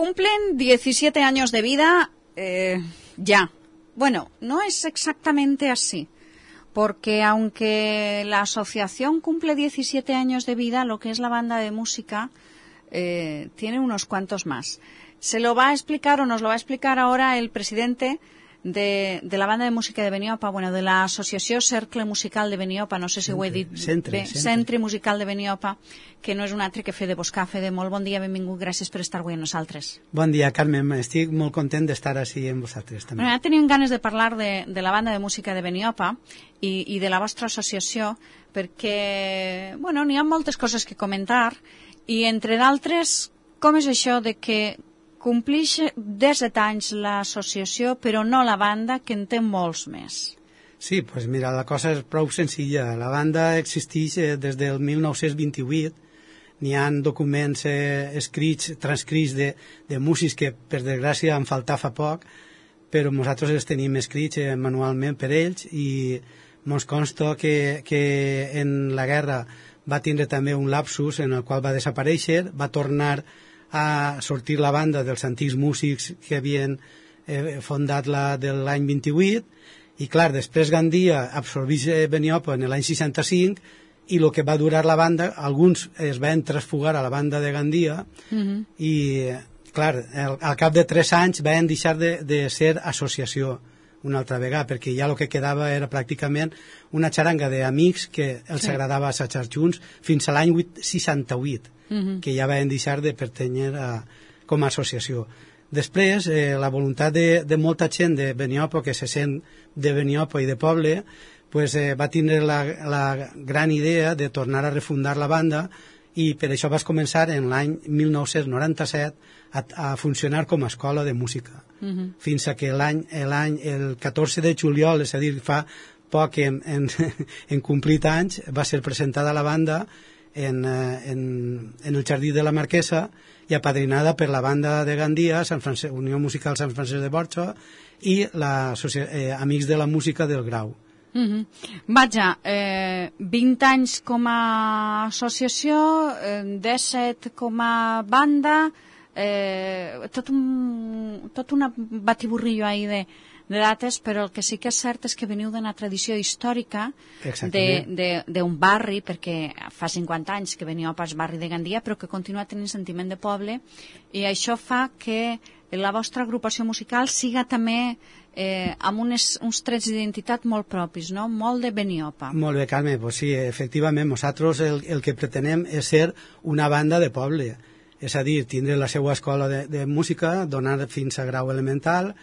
cumplen 17 años de vida ya. Bueno, no es exactamente así, porque aunque la asociación cumple 17 años de vida, lo que es la banda de música tiene unos cuantos más. Se lo va a explicar o nos lo va a explicar ahora el presidente de la banda de música de Beniopa, bueno, de l'associació Cercle Musical de Beniopa, no sé si ho he dit bé, Centre Musical de Beniopa, que no és un altre que Fede Boscà. Fede, molt bon dia, benvingut, gràcies per estar avui amb nosaltres. Bon dia, Carmen, estic molt content d'estar així amb vosaltres també. Bueno, teníem ganes de parlar de la banda de música de Beniopa i de la vostra associació, perquè, bueno, n'hi ha moltes coses que comentar, i entre d'altres, com és això de que complix 17 anys l'associació, però no la banda, que en té molts més. Sí, doncs mira, la cosa és prou senzilla. La banda existeix des del 1928. N'hi ha documents escrits, transcrits de músics que, per desgràcia, en falta fa poc, però nosaltres els tenim escrits manualment per ells, i ens consta que en la guerra va tindre també un lapsus en el qual va desaparèixer, va tornar a sortir la banda dels antics músics que havien fondat de l'any 28, i clar, després Gandia absorbeix Beniopa en l'any 65, i el que va durar la banda, alguns es van transfugar a la banda de Gandia, i clar, al cap de 3 anys van deixar de ser associació una altra vegada, perquè ja el que quedava era pràcticament una xaranga d'amics que els agradava assajar junts fins a l'any 68, que ja van deixar de pertànyer com a associació. Després, la voluntat de molta gent de Beniopa, que se sent de Beniopa i de poble, pues, va tindre la gran idea de tornar a refundar la banda, i per això vas començar en l'any 1997 a funcionar com a escola de música, fins a que el 14 de juliol, és a dir, fa poc en complit anys, va ser presentada la banda en el Jardí de la Marquesa i apadrinada per la banda de Gandia, Unió Musical Sant Francesc de Borja, i Amics de la Música del Grau. Vaja, 20 anys com a associació, 17 com a banda, tot un batiburrillo ahí de dates, però el que sí que és cert és que veniu d'una tradició històrica d'un barri, perquè fa 50 anys que Beniopa és barri de Gandia, però que continua tenint sentiment de poble, i això fa que la vostra agrupació musical siga també amb uns trets d'identitat molt propis, no? Molt de Beniopa. Molt bé, Carme, pues sí, efectivament, nosaltres el que pretenem és ser una banda de poble, és a dir, tindre la seva escola de música, donar fins a grau elemental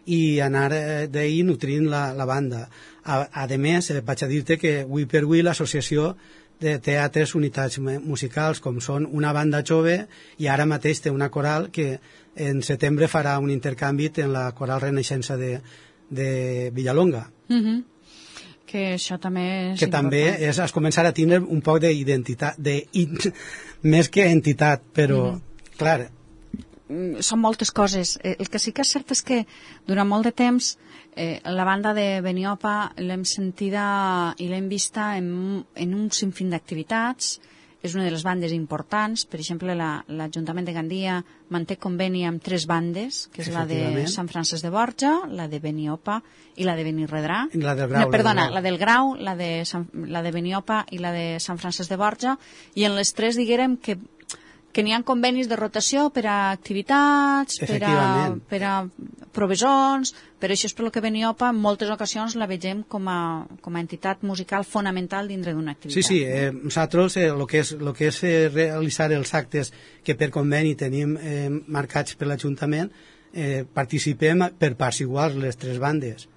i anar d'ahir nutrint la banda. A més, vaig a dir-te que avui per avui l'associació té altres unitats musicals, com són una banda jove, i ara mateix té una coral que en setembre farà un intercanvi en la coral Renaixença de Villalonga. Que això també és que important. També és començar a tindre un poc d'identitat, més que entitat, però, clar, són moltes coses. El que sí que és cert és que durant molt de temps la banda de Beniopa l'hem sentida i l'hem vista en un sinfín d'activitats. És una de les bandes importants. Per exemple, l'Ajuntament de Gandia manté conveni amb 3 bandes, que és la de Sant Francesc de Borja, la de Beniopa i la de Benirredrà. La del Grau. Perdona, la del Grau, la de Beniopa i la de Sant Francesc de Borja, i en les 3 diguérem que n'hi ha convenis de rotació per a activitats, per a provesons, però això és per que Beniopa en moltes ocasions la vegem com a entitat musical fonamental dintre d'una activitat. Sí, nosaltres el que és realitzar els actes que per conveni tenim marcats per l'Ajuntament, participem per parts iguals les 3 bandes.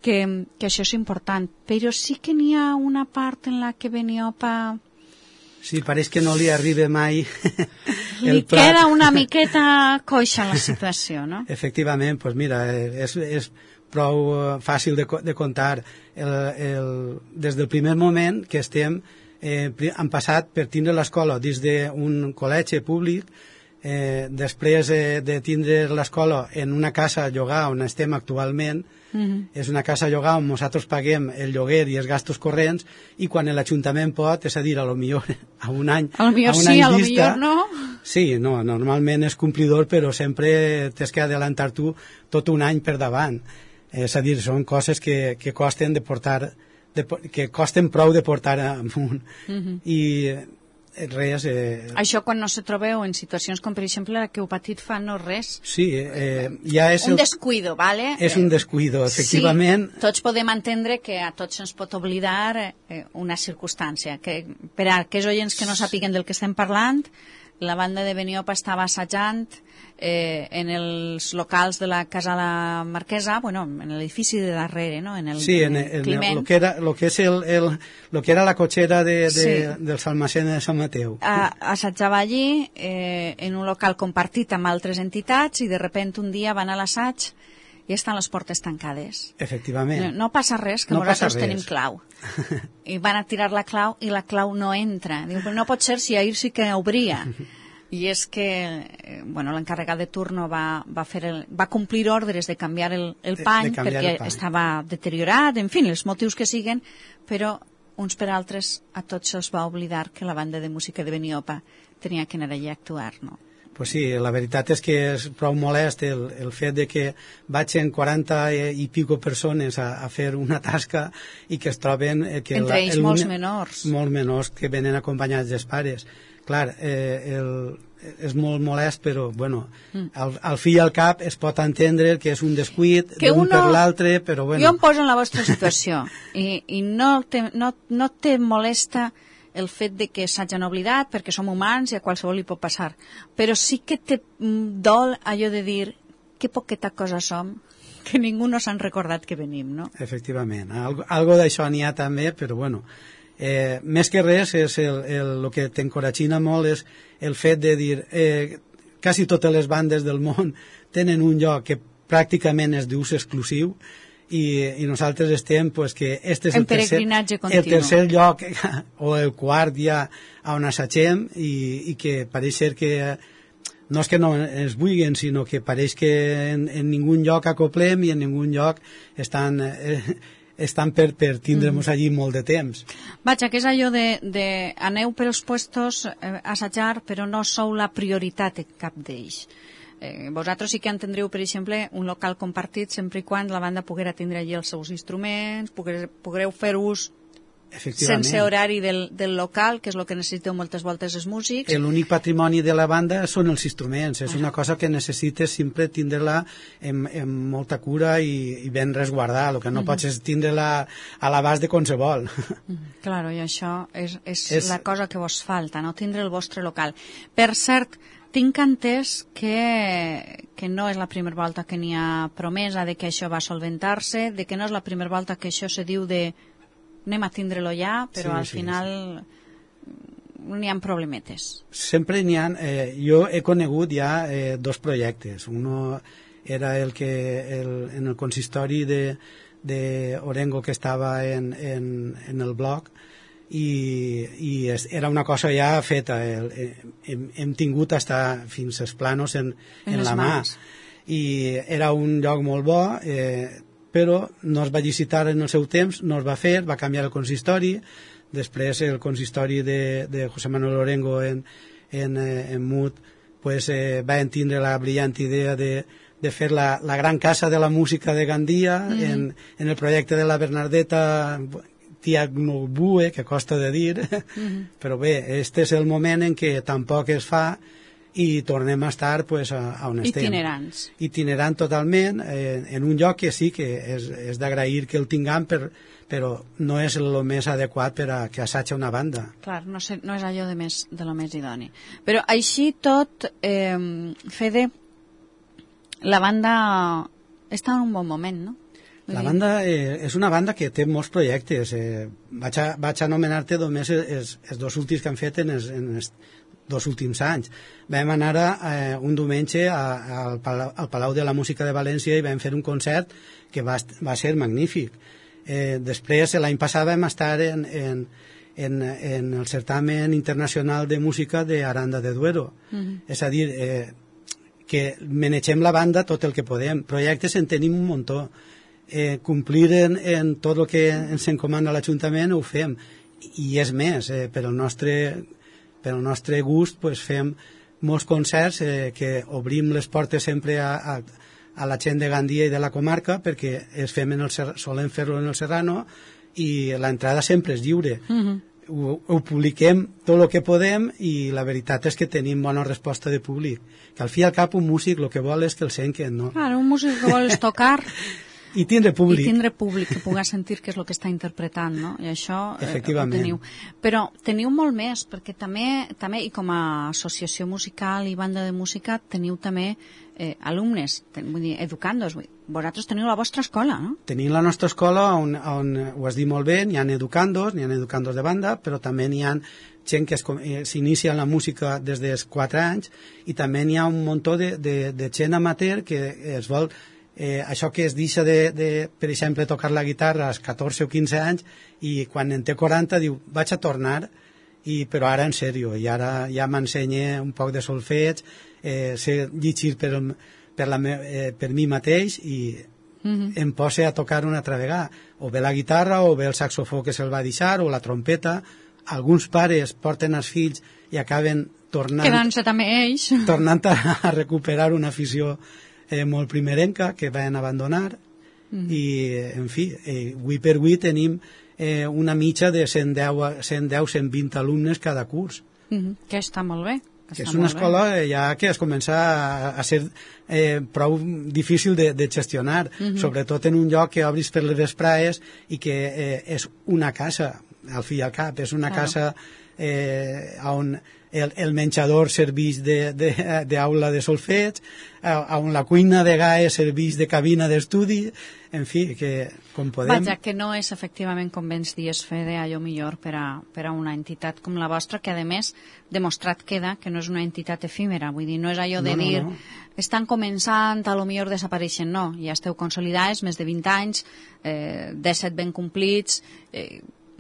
Que això és important, però sí que n'hi ha una part en la que Beniopa... Sí, pareix que no li arriba mai el plat. Li queda una miqueta coixa la situació, no? Efectivament, doncs mira, és prou fàcil de contar. Des del primer moment que estem, han passat per tindre l'escola des d'un col·legi públic, després de tindre l'escola en una casa a llogar on estem actualment. És una casa a llogar on nosaltres paguem el lloguer i els gastos corrents, i quan l'Ajuntament pot, és a dir, a lo millor a un any a lo millor sí, a lo millor no, Sí, no, normalment és complidor, però sempre tens que adelantar tu tot un any per davant. És a dir, són coses que costen de portar, que costen prou de portar amunt. I res... Això quan no se trobeu en situacions com, per exemple, la que heu patit fa no res. Sí, ja és... Un descuido, ¿vale? És un descuido, efectivament. Sí, tots podem entendre que a tots ens pot oblidar una circumstància. Que, per a aquells oients que no sàpiguen del que estem parlant, la banda de Beniopa estava assajant en els locals de la Casa la Marquesa, bueno, en l'edifici de darrere, no? En el, sí, en Climent. Lo que era la cotxera del Salmacén de Sant Mateu. Assajava allí en un local compartit amb altres entitats i de repente un dia van a l'assaig i estan les portes tancades. Efectivament. No passa res, que no nosaltres tenim clau. I van a tirar la clau i la clau no entra. Diu, però no pot ser si ahir sí que obria. I és que bueno, l'encarregat de turno va complir ordres de canviar el pany perquè estava deteriorat, en fi, els motius que siguen, però uns per altres a tots se'ls va oblidar que la banda de música de Beniopa tenia que anar allà a actuar, no? Pues sí, la veritat és que és prou molest el fet de que vagin 40 i pico persones a fer una tasca i que es troben... Entre ells molts menors. Molts menors que venen acompanyats dels pares. Clar, és molt molest, però bueno, al fi i al cap es pot entendre que és un descuit d'un per l'altre, però bueno... Jo em poso en la vostra situació i no te molesta el fet de que s'hagin oblidat perquè som humans i a qualsevol li pot passar, però sí que te dol allò de dir que poqueta cosa som, que ningú no s'han recordat que venim, no? Efectivament, algo d'això n'hi ha també, però bueno, més que res és el que t'encoratgina molt és el fet de dir quasi totes les bandes del món tenen un lloc que pràcticament és d'ús exclusiu i nosaltres estem pues, que este és el tercer lloc o el quart ja on assagem i que pareix ser que no és que no ens vulguin, sinó que pareix que en ningun lloc acoplem i en ningun lloc estan per tindre-nos allí molt de temps. Vaja, que és allò de aneu per els puestos a assajar, però no sou la prioritat en cap d'ells. Vosaltres sí que entendreu, per exemple, un local compartit sempre i quan la banda poguera tindre allí els seus instruments, poguereu fer ús sense horari del local, que és el que necessiteu moltes voltes els músics. L'únic patrimoni de la banda són els instruments, és una cosa que necessites sempre tindre-la amb molta cura i ben resguardar, el que no pots és tindre-la a l'abast de qualsevol. Claro, i això és la cosa que vos falta, no tindre el vostre local. Per cert, tinc entès que no és la primera volta que n'hi ha promesa de que això va solventar-se, de que no és la primera volta que això se diu de anem a tindre-lo ja, però al final n'hi ha problemetes. Sempre n'hi ha... jo he conegut ja dos projectes. Uno era en el consistori de Orengo que estava en el blog i era una cosa ja feta. Hem tingut fins als planos en la mà. I era un lloc molt bo, però no es va licitar en el seu temps, no es va fer, va canviar el consistori, després el consistori de José Manuel Orengo en Mut pues, va entendre la brillant idea de fer la gran casa de la música de Gandia en el projecte de la Bernardeta Tiagnobue, que costa de dir, però bé, este és el moment en què tampoc es fa i tornem a estar pues, on estem. Itinerant totalment, en un lloc que sí que és d'agrair que el tinguem, però no és el més adequat per a que assagi una banda. Clar, no és allò de lo més idoni. Però així tot, Fede, la banda està en un bon moment, no? La banda és una banda que té molts projectes. Vaig anomenar-te només els dos últims que han fet en els 2 últims anys. Vam anar un diumenge al Palau de la Música de València i vam fer un concert que va ser magnífic. Després, l'any passat vam estar en el certamen internacional de música d'Aranda de Duero. És a dir, que manegem la banda tot el que podem. Projectes en tenim un muntó. Complir en tot el que ens encomana l'Ajuntament ho fem. I és més, per al nostre gust pues, fem molts concerts que obrim les portes sempre a la gent de Gandia i de la comarca, perquè solem fer-lo en el Serrano i l'entrada sempre és lliure. Ho publiquem tot el que podem i la veritat és que tenim bona resposta de públic, que al fi i al cap un músic el que vol és que el senten, no? Clar, un músic que vol és tocar i tindre públic que pugui sentir què és el que està interpretant, no? I això ho Efectivament. teniu. Però teniu molt més, perquè també, i com a associació musical i banda de música, teniu també alumnes, vull dir, educandos. Vosaltres teniu la vostra escola, no? Tenim la nostra escola on ho has dit molt bé, n'hi ha educandos de banda, però també n'hi ha gent que s'inicia en la música des dels 4 anys i també n'hi ha un muntó de gent amateur que es vol això que es deixa per exemple, tocar la guitarra als 14 o 15 anys i quan en té 40 diu, vaig a tornar, però ara en sèrio, i ara ja m'ensenya un poc de solfeig, sé llegir per mi mateix i em posa a tocar una altra vegada, o bé la guitarra o bé el saxofó que se'l va deixar o la trompeta. Alguns pares porten els fills i acaben quedant-se també ells tornant a recuperar una afició molt primerenca que van abandonar i, en fi, avui per avui tenim una mitja de 110-120 alumnes cada curs. Que està molt bé. Que és una escola ja que es comença a ser prou difícil de gestionar, sobretot en un lloc que obris per les vesprades i que és una casa, al fi i al cap, és una casa on el menjador serveix d'aula de solfeig, on la cuina de gaes serveix de cabina d'estudi, en fi, que com podem... Vaja, que no és efectivament, com vens dies, Fede, allò millor per a una entitat com la vostra, que a més demostrat queda que no és una entitat efímera, vull dir, no és allò de dir estan començant, a lo millor desapareixen, no, ja esteu consolidats, més de 20 anys, 17 ben complits,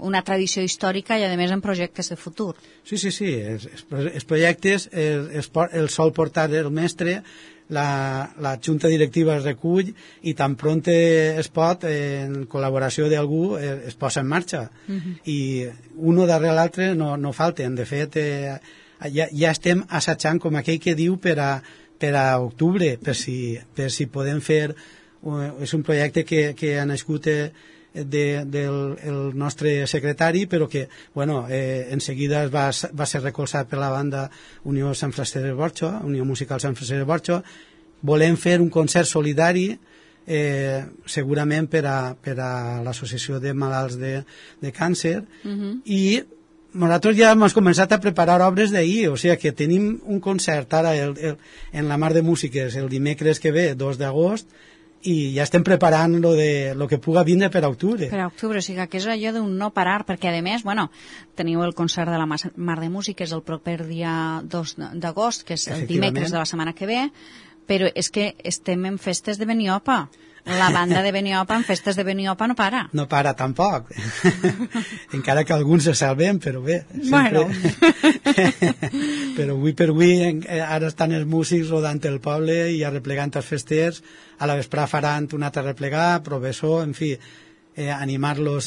una tradició històrica i, a més, en projectes de futur. Sí, els projectes el sol portar el mestre, la junta directiva es recull i tan pront es pot, en col·laboració d'algú, es posa en marxa. I un darrere l'altre no falten. De fet, ja estem assajant, com aquell que diu, per a octubre, per si podem fer... És un projecte que ha nascut del nostre secretari, però que en seguida va ser recolzat per la banda Unió Sant Francesc de Borja, Unió Musical Sant Francesc de Borja. Volem fer un concert solidari segurament per a l'associació de malalts de càncer i nosaltres ja hem començat a preparar obres d'ahir, o sigui que tenim un concert ara en la Mar de Músiques el dimecres que ve, 2 d'agost, i ja estem preparant lo que puga vindre per a octubre. Per a octubre, o sigui que és allò d'un no parar, perquè a més, teniu el concert de la Mar de Músiques el proper dia 2 d'agost, que és el dimecres de la setmana que ve, però és que estem en festes de Beniopa. La banda de Beniopa en festes de Beniopa no para. No para tampoc. Encara que alguns se salven, però bé. Bueno. Però avui per avui ara estan els músics rodant el poble i arreplegant els festers. A la vesprà faran un altre replegar, professor, en fi, animar-los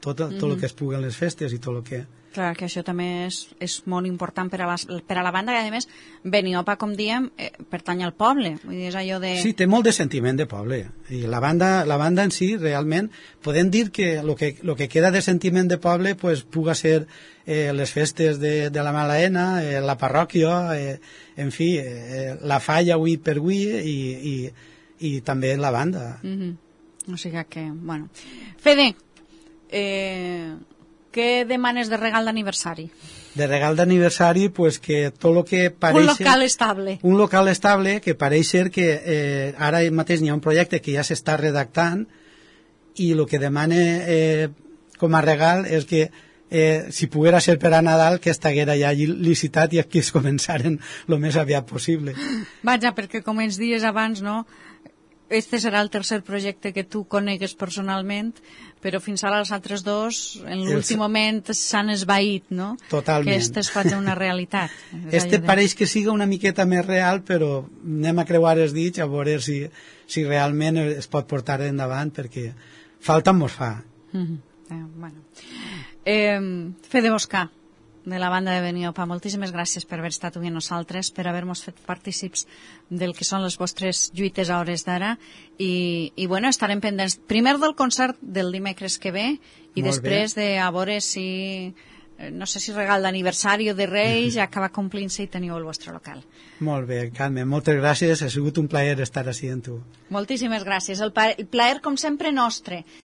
tot el que es pugui en les festes i tot el que... Clar, que això també és molt important per a la banda, que a més Beniopa, com diem, pertany al poble. Vull dir, és allò de... Sí, té molt de sentiment de poble. I la banda en si, realment, podem dir que el que queda de sentiment de poble puga ser les festes de la Malaena, la parròquia, en fi, la falla avui per avui i també la banda. O sigui que, bueno... Fede, què demanes de regal d'aniversari? De regal d'aniversari, pues que tot el que pareix... Un local estable. Un local estable, que pareix ser que ara mateix n'hi ha un projecte que ja s'està redactant i el que demane com a regal és que si poguera ser per a Nadal que estiguera ja licitat i que es començaren el més aviat possible. Vaja, perquè com ens dies abans, no? Este serà el tercer projecte que tu conegues personalment, però fins ara els altres dos, en l'últim moment, s'han esvaït, no? Totalment. Que este es faci una realitat. Pareix que siga una miqueta més real, però anem a creuar els dits a veure si realment es pot portar endavant, perquè falta mos fa. Bueno. Fede Boscà, de la banda de Beniopa. Moltíssimes gràcies per haver estat avui amb nosaltres, per haver-nos fet partícips del que són les vostres lluites a hores d'ara i bueno, estarem pendents primer del concert del dimecres que ve i després de a veure si no sé si regal d'aniversari o de Reis ja acaba complint-se i teniu el vostre local. Molt bé, Carme, moltes gràcies, ha sigut un plaer estar així amb tu. Moltíssimes gràcies, el plaer com sempre nostre.